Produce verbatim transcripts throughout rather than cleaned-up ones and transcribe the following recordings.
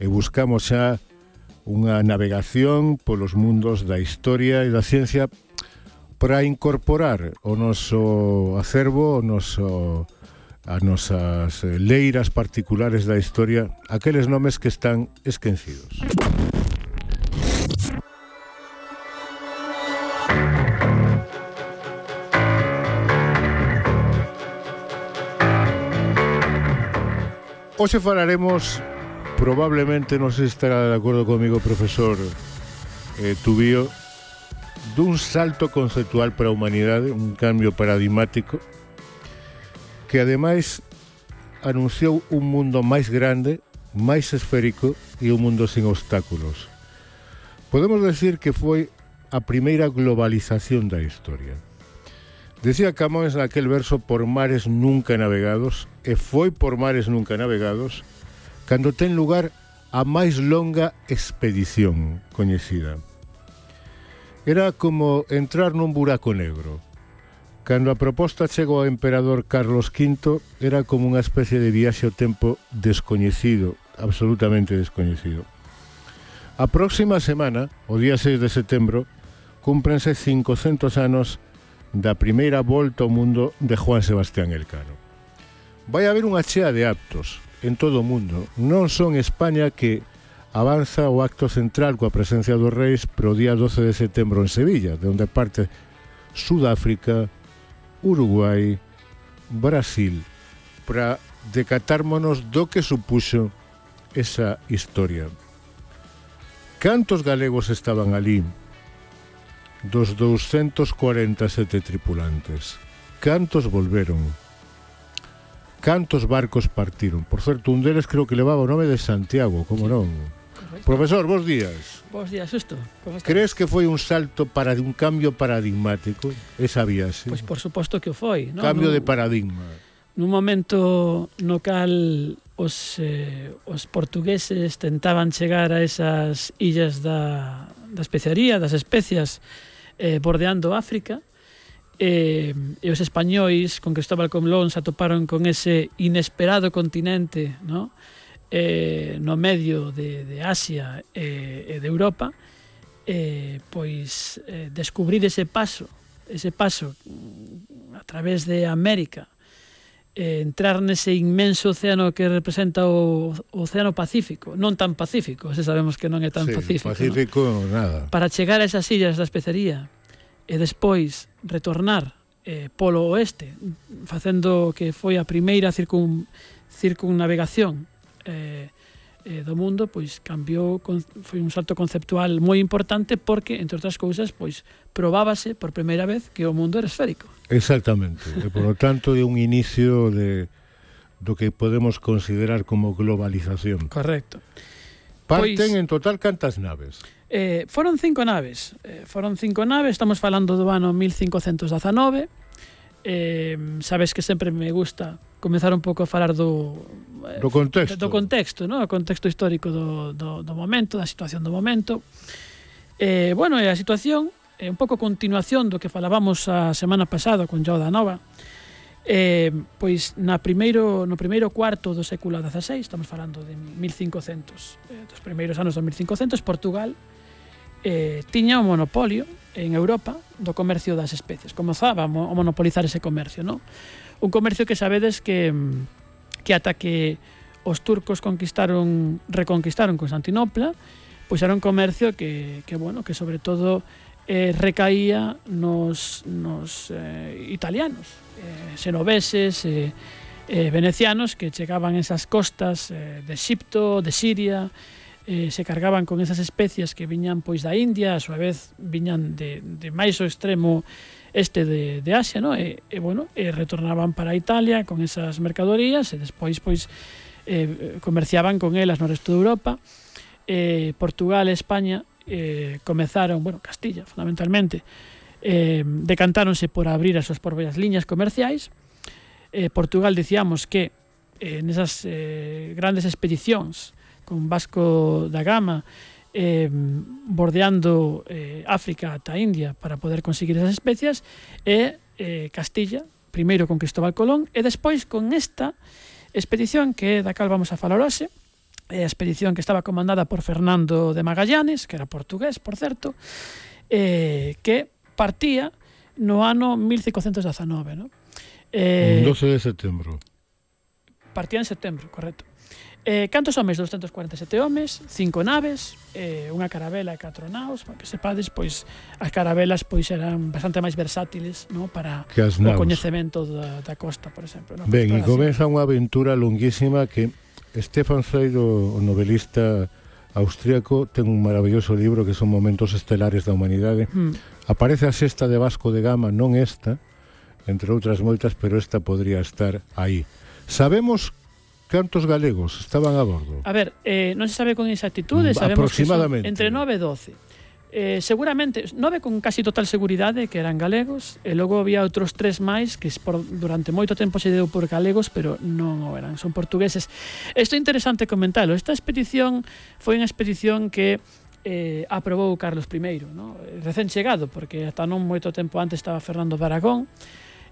e buscamos xa unha navegación polos mundos da historia e da ciencia para incorporar o noso acervo, o noso, as nosas leiras particulares da historia, aqueles nomes que están esquecidos. Hoxe falaremos, probablemente, non sei se estará de acordo comigo, profesor eh, Tubío, dun salto conceptual para a humanidade, un cambio paradigmático, que ademais anunciou un mundo máis grande, máis esférico e un mundo sin obstáculos. Podemos decir que foi a primeira globalización da historia. Decía Camões naquel verso por mares nunca navegados, e foi por mares nunca navegados, cando ten lugar a máis longa expedición coñecida. Era como entrar nun buraco negro. Cando a proposta chegou ao emperador Carlos quinto, era como unha especie de viaxe ao tempo descoñecido, absolutamente descoñecido. A próxima semana, o día seis de setembro, cúmprense cincocentos anos da primeira volta ao mundo de Juan Sebastián Elcano. Vai haber unha chea de actos en todo o mundo, non só en España, que avanza o acto central coa presencia dos reis pro día doce de setembro en Sevilla, de onde parte Sudáfrica, Uruguai, Brasil, para decatármonos do que supuxo esa historia. Cantos galegos estaban ali dos doscientos cuarenta e sete tripulantes? Cantos volveron? Cantos barcos partiron? Por certo, un deles creo que levaba o nome de Santiago, como sí, non? Correcto. Profesor, bos días. Bos días, Xusto. Crees que foi un salto para un cambio paradigmático esa viaxe? Pois por suposto que o foi, non? Cambio no, de paradigma. Nun momento no cal os, eh, os portugueses tentaban chegar a esas illas da, da especiaría, das especias, eh, bordeando África, e, e os españois con Cristóbal Colón se atoparon con ese inesperado continente, no, eh, no medio de, de Asia e, e de Europa, eh, pois eh, descubrir ese paso, ese paso a través de América, eh, entrar nese inmenso océano que representa o, o Océano Pacífico, non tan pacífico, se sabemos que non é tan sí, pacífico, pacífico ¿no? Nada. Para chegar a esas illas da especería e despois retornar eh, polo oeste, facendo que foi a primeira circun, circunnavegación eh, eh, do mundo, pois cambiou, foi un salto conceptual moi importante porque, entre outras cousas, pois probábase por primeira vez que o mundo era esférico. Exactamente, e por lo tanto é un inicio de do que podemos considerar como globalización. Correcto. Parten Pois, en total cantas naves? Eh, foron cinco naves, eh, foron cinco naves, estamos falando do ano mil cincocentos dezanove. Eh, sabes que sempre me gusta comezar un pouco a falar do eh, do contexto, do contexto, no? O contexto histórico do, do, do momento, da situación do momento. Eh, bueno, e a situación é un pouco continuación do que falábamos a semana pasada con Joao da Nova. Eh, pois na primeiro, no primeiro cuarto do século dezaseis, estamos falando de mil cincocentos, eh, dos primeiros anos do mil cincocentos, Portugal eh, tiña un monopolio en Europa do comercio das especies, comezaba a monopolizar ese comercio, ¿no? Un comercio que sabedes que que ata que os turcos conquistaron, reconquistaron Constantinopla, pois era un comercio que, que bueno, que sobre todo eh, recaía nos, nos eh, italianos, eh, xenoveses, eh, eh, venecianos que chegaban a esas costas eh, de Exipto, de Siria, eh, se cargaban con esas especias que viñan pois da India, a súa vez viñan de, de máis o extremo este de, de Asia, ¿no? E, e, bueno, e retornaban para Italia con esas mercadorías e despois pois eh, comerciaban con elas no resto de Europa. Eh, Portugal e España eh, comezaron, bueno, Castilla fundamentalmente, eh, decantáronse por abrir as súas propias liñas comerciais. eh, Portugal, dicíamos que eh, nesas eh, grandes expedicións con Vasco da Gama eh, bordeando eh, África ata India para poder conseguir esas especias, e eh, Castilla, primeiro con Cristóbal Colón e despois con esta expedición que da cal vamos a falar hoxe, a expedición que estaba comandada por Fernando de Magallanes, que era portugués, por certo, eh, que partía no ano mil cincocentos dezanove, ¿no? Eh, doce de setembro. Partía en setembro, correcto. Eh, cantos homes? doscientos cuarenta e sete homes, cinco naves, eh, unha carabela e catro naos, para que sepades, pois as carabelas pois eran bastante máis versátiles, no, para o coñecemento da, da costa, por exemplo. No? Ben, e comeza unha aventura longuísima que Stefan Zweig, o novelista austríaco, ten un maravilloso libro que son Momentos Estelares da Humanidade. Mm. Aparece a sexta de Vasco de Gama, non esta, entre outras moitas, pero esta podría estar aí. Sabemos cantos galegos estaban a bordo? A ver, eh, non se sabe con exactitude, sabemos que son entre nove e doce. Eh, seguramente, nove con casi total seguridade que eran galegos, e logo había outros tres máis que por, durante moito tempo se deu por galegos, pero non o eran, son portugueses. Isto é interesante comentalo. Esta expedición foi unha expedición que eh, aprobou Carlos primeiro, ¿no? Recén chegado, porque ata non moito tempo antes estaba Fernando de Aragón.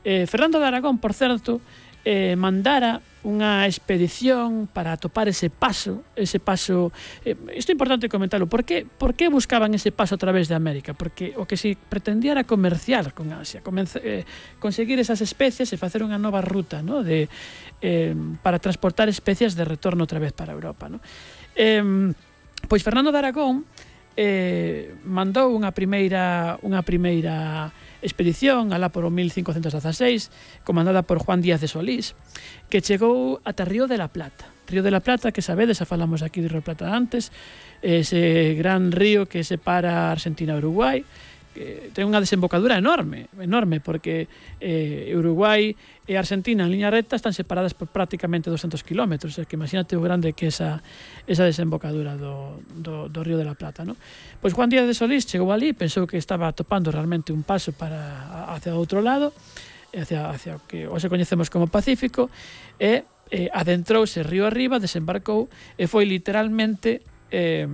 Eh, Fernando de Aragón, por certo, eh, mandara unha expedición para atopar ese paso, ese paso, eh, isto é importante comentarlo, por que, por que buscaban ese paso a través de América? Porque o que se pretendía era comerciar con Asia, comenza, eh, conseguir esas especies e facer unha nova ruta, ¿no? de, eh, para transportar especies de retorno outra vez para Europa, ¿no? Eh, pois Fernando de Aragón eh, mandou unha primeira unha primeira expedición alá por o mil cincocentos dezaseis, comandada por Juan Díaz de Solís, que chegou ata Río de la Plata. Río de la Plata, que sabedes, xa falamos aquí de Río de la Plata antes, ese gran río que separa Argentina e Uruguai, que ten unha desembocadura enorme, enorme, porque eh, Uruguai e Argentina en liña recta están separadas por prácticamente doscientos kilómetros, é que imagínate o grande que esa, esa desembocadura do, do, do Río de la Plata, ¿no? Pois Juan Díaz de Solís chegou ali, pensou que estaba topando realmente un paso para hacia o outro lado, hacia, hacia o que hoxe coñecemos como Pacífico, e eh, adentrouse río arriba, desembarcou e foi literalmente eh,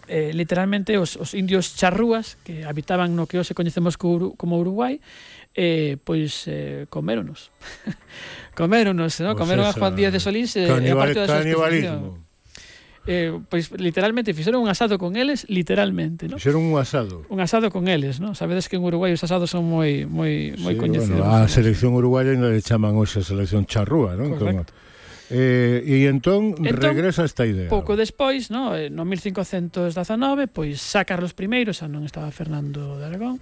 Eh, literalmente os, os indios charrúas que habitaban no que hoxe coñecemos como Uruguai, eh, pois eh, coméronos coméronos, ¿no? Pues comeron a Juan Díaz de Solís eh, canibal, e parte da súa expedición. Eh, pois literalmente fixeron un asado con eles, literalmente, ¿no? Fixeron un asado. Un asado con eles, ¿no? Sabedes que en Uruguai os asados son moi moi moi sí, coñecidos. Bueno, a selección uruguaya ainda le chaman hoxe a selección charrúa, ¿no? Correcto. Como Eh, e entón, entón regresa esta idea. Pouco despois, no, no mil cincocentos dezanove, pois xa Carlos primeiro, xa non estaba Fernando de Aragón,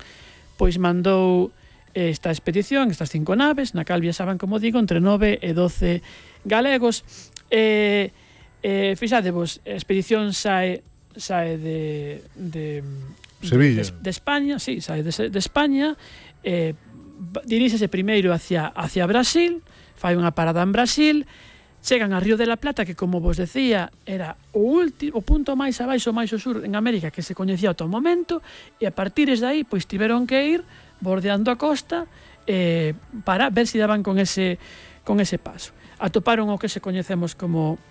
pois mandou esta expedición, estas cinco naves, na cal viaxaban, como digo, entre nove e doce galegos. Eh, eh, fixadevos, a expedición sae, sae de, de, Sevilla. De, de, de España, sí, sae de, de España, eh, diríxese primeiro hacia, hacia Brasil, fai unha parada en Brasil, chegan a Río de la Plata, que, como vos decía, era o, último, o punto máis abaixo, máis ao sur en América que se coñecía ata o momento, e a partir de aí, pois tiveron que ir bordeando a costa eh, para ver se si daban con ese, con ese paso. Atoparon o que se coñecemos como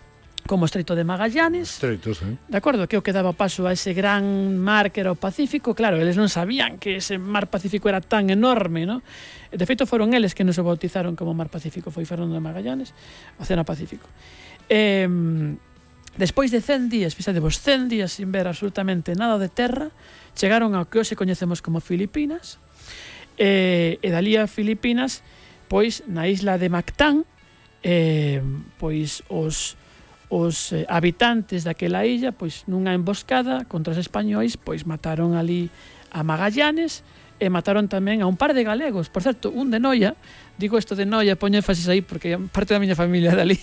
como Estreito de Magallanes. Estreitos, eh? De acordo, que o que daba paso a ese gran mar que era o Pacífico. Claro, eles non sabían que ese mar Pacífico era tan enorme, ¿no? De feito, foron eles que nos o bautizaron como Mar Pacífico, foi Fernando de Magallanes, Océano Pacífico. Eh, despois de cen días, fixadevos, cen días sin ver absolutamente nada de terra, chegaron ao que hoxe coñecemos como Filipinas, eh, e dali a Filipinas, pois, na isla de Mactán, eh, pois, os os eh, habitantes daquela illa, pois nunha emboscada contra os españois, pois mataron ali a Magallanes e mataron tamén a un par de galegos. Por certo, un de Noia, digo isto de Noia, poño énfasis aí porque parte da miña familia dali.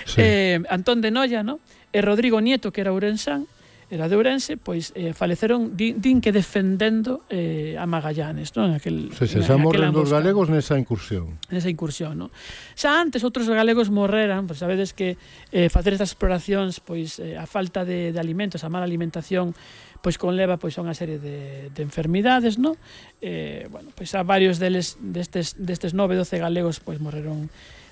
Sí. eh, Antón de Noia, ¿no? E Rodrigo Nieto, que era ourensán, era de Ourense, pois eh, faleceron, din, din que defendendo eh, a Magallanes, non? Aquel, se se xa morren dos galegos nesa incursión. Nesa incursión, non? Xa antes outros galegos morreran, pois sabedes que eh, facer estas exploracións, pois eh, a falta de, de alimentos, a mala alimentación, pois conleva pois a unha serie de, de enfermidades, non? Eh, bueno, pois a varios deles, destes, destes nove, doce galegos, pois morreron.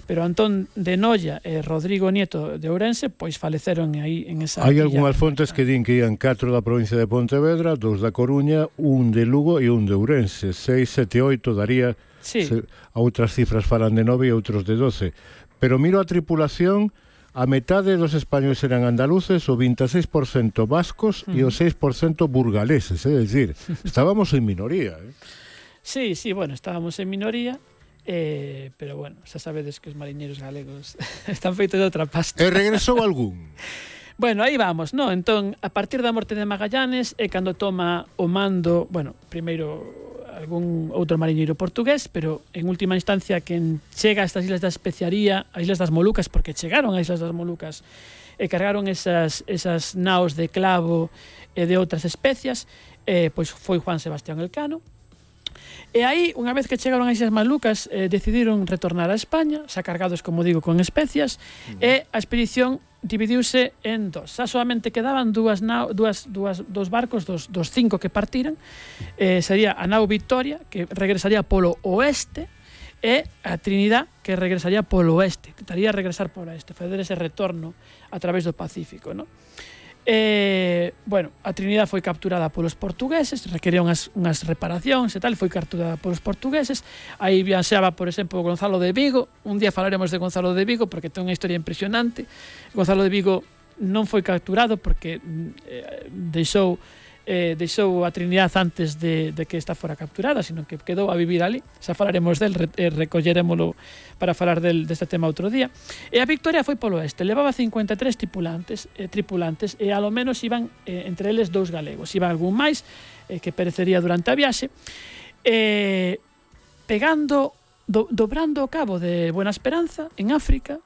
Pero Antón de Noia e Rodrigo Nieto de Ourense pois faleceron aí en esa. Hai algunhas fontes que din que ian catro da provincia de Pontevedra, dous da Coruña, un de Lugo e un de Ourense. Seis, sete, oito daría. Sí. Se, a outras cifras falan de nove e outros de doce. Pero miro a tripulación, a metade dos españoles eran andaluces, o vinte e seis por cento vascos e o seis por cento burgaleses, é dicir, estábamos en minoría. Eh? Sí, sí, bueno, estábamos en minoría, eh, pero bueno, xa sabedes que os mariñeiros galegos están feitos de outra pasta. E regresou algún? Bueno, aí vamos, no? Entón, a partir da morte de Magallanes é cando toma o mando, bueno, primeiro algún outro mariñeiro portugués, pero en última instancia quen chega a estas islas da especiaría, as islas das Molucas, porque chegaron ás islas das Molucas e cargaron esas, esas naos de clavo e de outras especias, eh, pois foi Juan Sebastián Elcano. E aí, unha vez que chegaron ás Islas Malucas, eh, decidiron retornar a España, xa cargados, como digo, con especias, mm. e a expedición dividiuse en dos. Xa solamente quedaban dúas, nao, dúas, dúas, dos barcos, dos, dos cinco que partiran. Eh, sería a nao Victoria, que regresaría polo oeste, e a Trinidad, que regresaría polo oeste. Tentaría regresar por oeste, fazer ese retorno a través do Pacífico, non? Eh, bueno, a Trinidad foi capturada polos portugueses, requería unhas, unhas reparacións e tal, foi capturada polos portugueses. Aí viaxaba, por exemplo, Gonzalo de Vigo. Un día falaremos de Gonzalo de Vigo porque ten unha historia impresionante. Gonzalo de Vigo non foi capturado porque eh, deixou eh, deixou a Trinidad antes de, de que esta fora capturada, sino que quedou a vivir ali. Xa falaremos del, re, eh, recollerémolo para falar del, deste tema outro día. E a Victoria foi polo oeste, levaba cincuenta e tres tripulantes, eh, tripulantes e alo menos iban eh, entre eles dous galegos, iban algún máis eh, que perecería durante a viaxe, eh, pegando, do, dobrando o cabo de Buena Esperanza en África.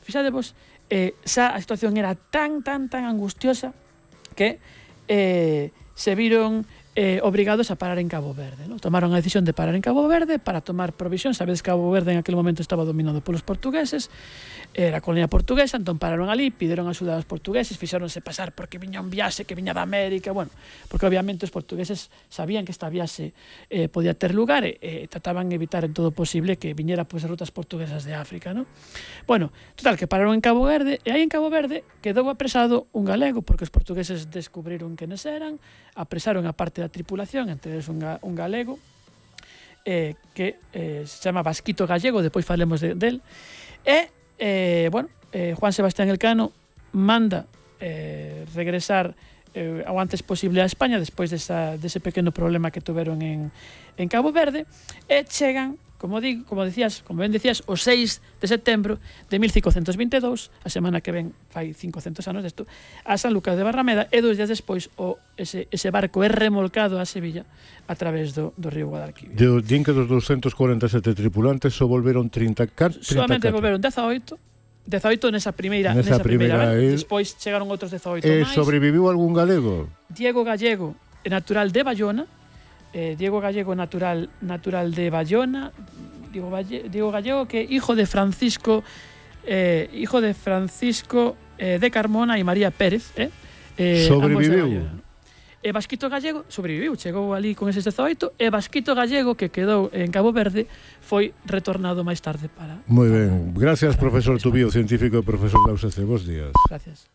Fixadevos, eh, xa a situación era tan, tan, tan angustiosa que eh, se viron eh, obrigados a parar en Cabo Verde, ¿no? Tomaron a decisión de parar en Cabo Verde para tomar provisión. Sabedes que Cabo Verde en aquel momento estaba dominado polos portugueses, era colonia portuguesa, entón pararon ali, pideron axuda aos portugueses, fixéronse pasar porque viña un viaxe que viña da América, bueno, porque obviamente os portugueses sabían que esta viaxe eh, podía ter lugar e eh, trataban de evitar en todo posible que viñera pois, as rutas portuguesas de África, ¿no? Bueno, total, que pararon en Cabo Verde e aí en Cabo Verde quedou apresado un galego porque os portugueses descubriron quenes eran, apresaron a parte da tripulación, entre eles un, ga, un galego eh, que eh, se chama Vasquito Gallego, depois falemos de, del, e Eh, bueno, eh, Juan Sebastián Elcano manda eh, regresar eh, ao antes posible a España despois desa, dese pequeno problema que tuveron en, en Cabo Verde e chegan, como digo, como decías, como ben decías, o seis de setembro de mil cincocentos vinte e dous, a semana que ven fai cincocentos anos desto, a San Lucas de Barrameda, e dos días despois o, ese, ese barco é remolcado a Sevilla a través do, do río Guadalquivir. De, din que dos doscientos cuarenta e sete tripulantes só volveron trinta e catro. Solamente volveron dezaoito, dezaoito nesa primeira, nesa, nesa primeira, primeira vez. Despois chegaron outros dezaoito eh, máis. Sobreviviu algún galego? Diego Gallego, natural de Bayona, eh, Diego Gallego natural natural de Bayona, Diego, Valle, Diego Gallego que hijo de Francisco eh, hijo de Francisco eh, de Carmona e María Pérez, eh, eh, sobreviviu. E Vasquito Gallego sobreviviu, chegou ali con eses dezaoito, e Vasquito Gallego, que quedou en Cabo Verde, foi retornado máis tarde para... Moi ben, gracias, profesor Tubío, científico e profesor da U S C. Bos días. Gracias.